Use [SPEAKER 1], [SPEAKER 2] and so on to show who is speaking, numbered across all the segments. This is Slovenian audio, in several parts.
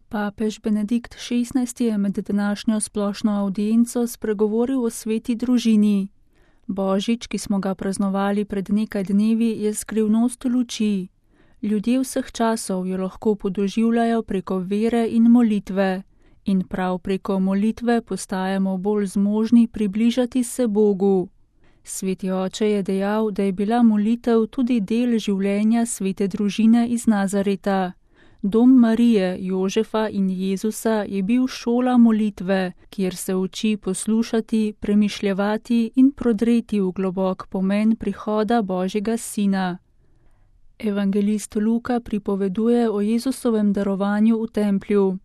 [SPEAKER 1] Papež Benedikt XVI je med današnjo splošno avdienco spregovoril o sveti družini. Božič, ki smo ga praznovali pred nekaj dnevi, je skrivnost luči. Ljudje vseh časov jo lahko podoživljajo preko vere in molitve. In prav preko molitve postajamo bolj zmožni približati se Bogu. Sveti oče je dejal, da je bila molitev tudi del življenja svete družine iz Nazareta. Dom Marije, Jožefa in Jezusa je bil šola molitve, kjer se uči poslušati, premišljevati in prodreti v globok pomen prihoda Božjega Sina. Evangelist Luka pripoveduje o Jezusovem darovanju v templju.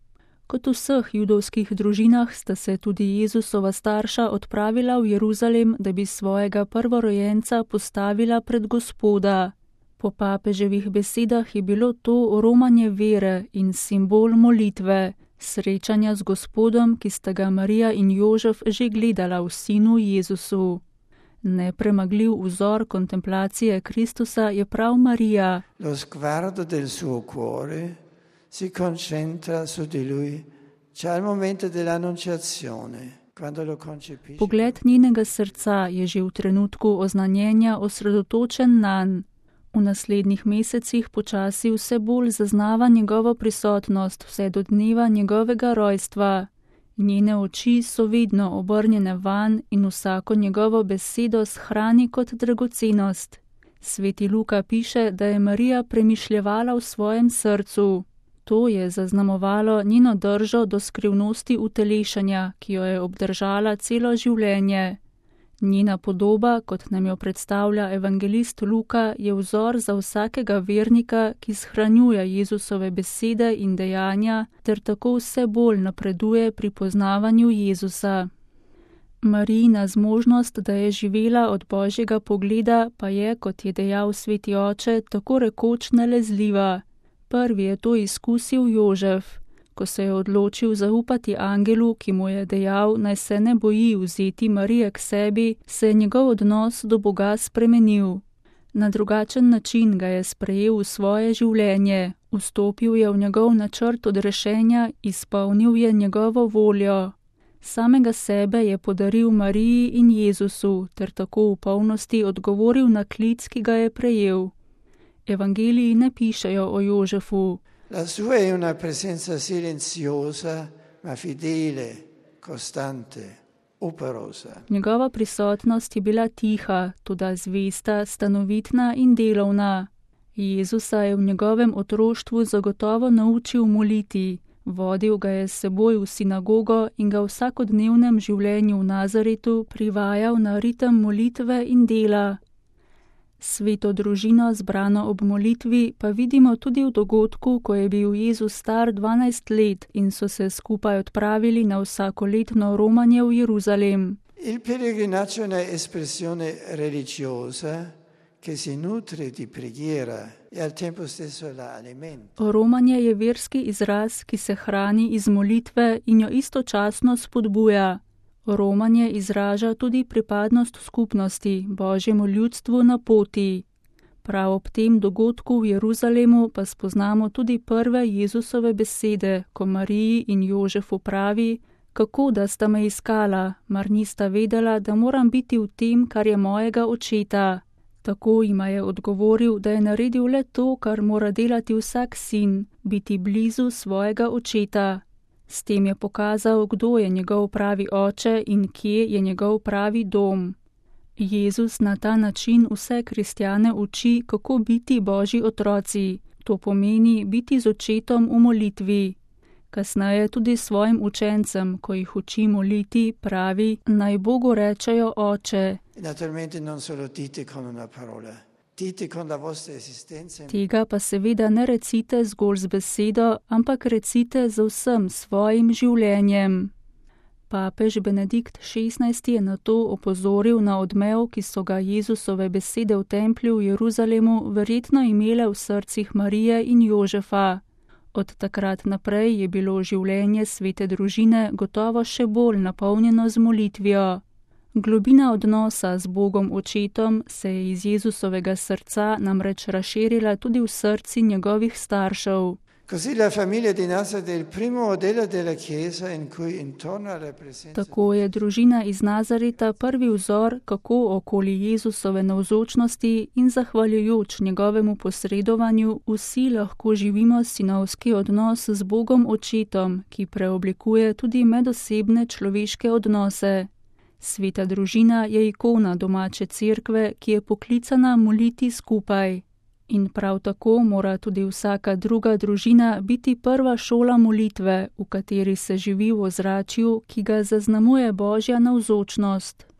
[SPEAKER 1] Kot v vseh judovskih družinah sta se tudi Jezusova starša odpravila v Jeruzalem, da bi svojega prvorojenca postavila pred Gospoda. Po papeževih besedah je bilo to romanje vere in simbol molitve, srečanja z Gospodom, ki sta ga Marija in Jožef že gledala v sinu Jezusu. Nepremagljiv vzor kontemplacije Kristusa je prav Marija.
[SPEAKER 2] Lo sguardo del suo cuore si concentra su di lui. C'è il momento dell'annunciazione.
[SPEAKER 1] Pogled njenega srca je že v trenutku oznanjenja osredotočen nanj. V naslednjih mesecih počasi vse bolj zaznava njegovo prisotnost vse do dneva njegovega rojstva. Njene oči so vedno obrnjene vanj in vsako njegovo besedo shrani kot dragocenost. Sveti Luka piše, da je Marija premišljevala v svojem srcu. To je zaznamovalo njeno držo do skrivnosti utelešanja, ki jo je obdržala celo življenje. Njena podoba, kot nam jo predstavlja evangelist Luka, je vzor za vsakega vernika, ki shranjuje Jezusove besede in dejanja, ter tako vse bolj napreduje pri poznavanju Jezusa. Marijina zmožnost, da je živela od Božjega pogleda, pa je, kot je dejal sveti oče, tako rekoč nalezljiva. Prvi je to izkusil Jožef. Ko se je odločil zaupati angelu, ki mu je dejal, naj se ne boji vzeti Marije k sebi, se je njegov odnos do Boga spremenil. Na drugačen način ga je sprejel v svoje življenje, vstopil je v njegov načrt odrešenja, izpolnil je njegovo voljo. Samega sebe je podaril Mariji in Jezusu, ter tako v polnosti odgovoril na klic, ki ga je prejel. Evangeliji ne pišejo o Jožefu.
[SPEAKER 2] La sua è una presenza silenziosa, ma fidele, costante, operosa.
[SPEAKER 1] Njegova prisotnost je bila tiha, toda zvesta, stanovitna in delovna. Jezusa je v njegovem otroštvu zagotovo naučil moliti, vodil ga je s seboj v sinagogo in ga v vsakodnevnem življenju v Nazaretu privajal na ritem molitve in dela. Sveto družino zbrano ob molitvi pa vidimo tudi v dogodku, ko je bil Jezus star 12 let in so se skupaj odpravili na vsakoletno romanje v Jeruzalem.
[SPEAKER 2] Il pellegrinaggio è un'espressione religiosa che si nutre di preghiera e al tempo stesso la alimenta.
[SPEAKER 1] Romanje je verski izraz, ki se hrani iz molitve in jo istočasno spodbuja. Romanje izraža tudi pripadnost skupnosti, Božjemu ljudstvu na poti. Prav ob tem dogodku v Jeruzalemu pa spoznamo tudi prve Jezusove besede, ko Mariji in Jožefu pravi, kako da sta me iskala, mar nista vedela, da moram biti v tem, kar je mojega očeta. Tako jima je odgovoril, da je naredil le to, kar mora delati vsak sin, biti blizu svojega očeta. S tem je pokazal, kdo je njegov pravi oče in kje je njegov pravi dom. Jezus na ta način vse kristjane uči, kako biti Božji otroci. To pomeni biti z očetom v molitvi. Kasneje tudi svojim učencem, ko jih uči moliti, pravi, naj Bogu rečejo oče.
[SPEAKER 2] Naturalmente non solo dite con una parola.
[SPEAKER 1] Tega pa seveda ne recite zgolj z besedo, ampak recite z vsem svojim življenjem. Papež Benedikt XVI je na to opozoril na odmev, ki so ga Jezusove besede v templju v Jeruzalemu verjetno imele v srcih Marije in Jožefa. Od takrat naprej je bilo življenje svete družine gotovo še bolj napolnjeno z molitvijo. Globina odnosa z Bogom očetom se je iz Jezusovega srca namreč razširila tudi v srci njegovih staršev. Tako je družina iz Nazareta prvi vzor, kako okoli Jezusove navzočnosti in zahvaljujoč njegovemu posredovanju vsi lahko živimo sinovski odnos z Bogom Očetom, ki preoblikuje tudi medosebne človeške odnose. Sveta družina je ikona domače cerkve, ki je poklicana moliti skupaj. In prav tako mora tudi vsaka druga družina biti prva šola molitve, v kateri se živi v ozračju, ki ga zaznamuje Božja navzočnost.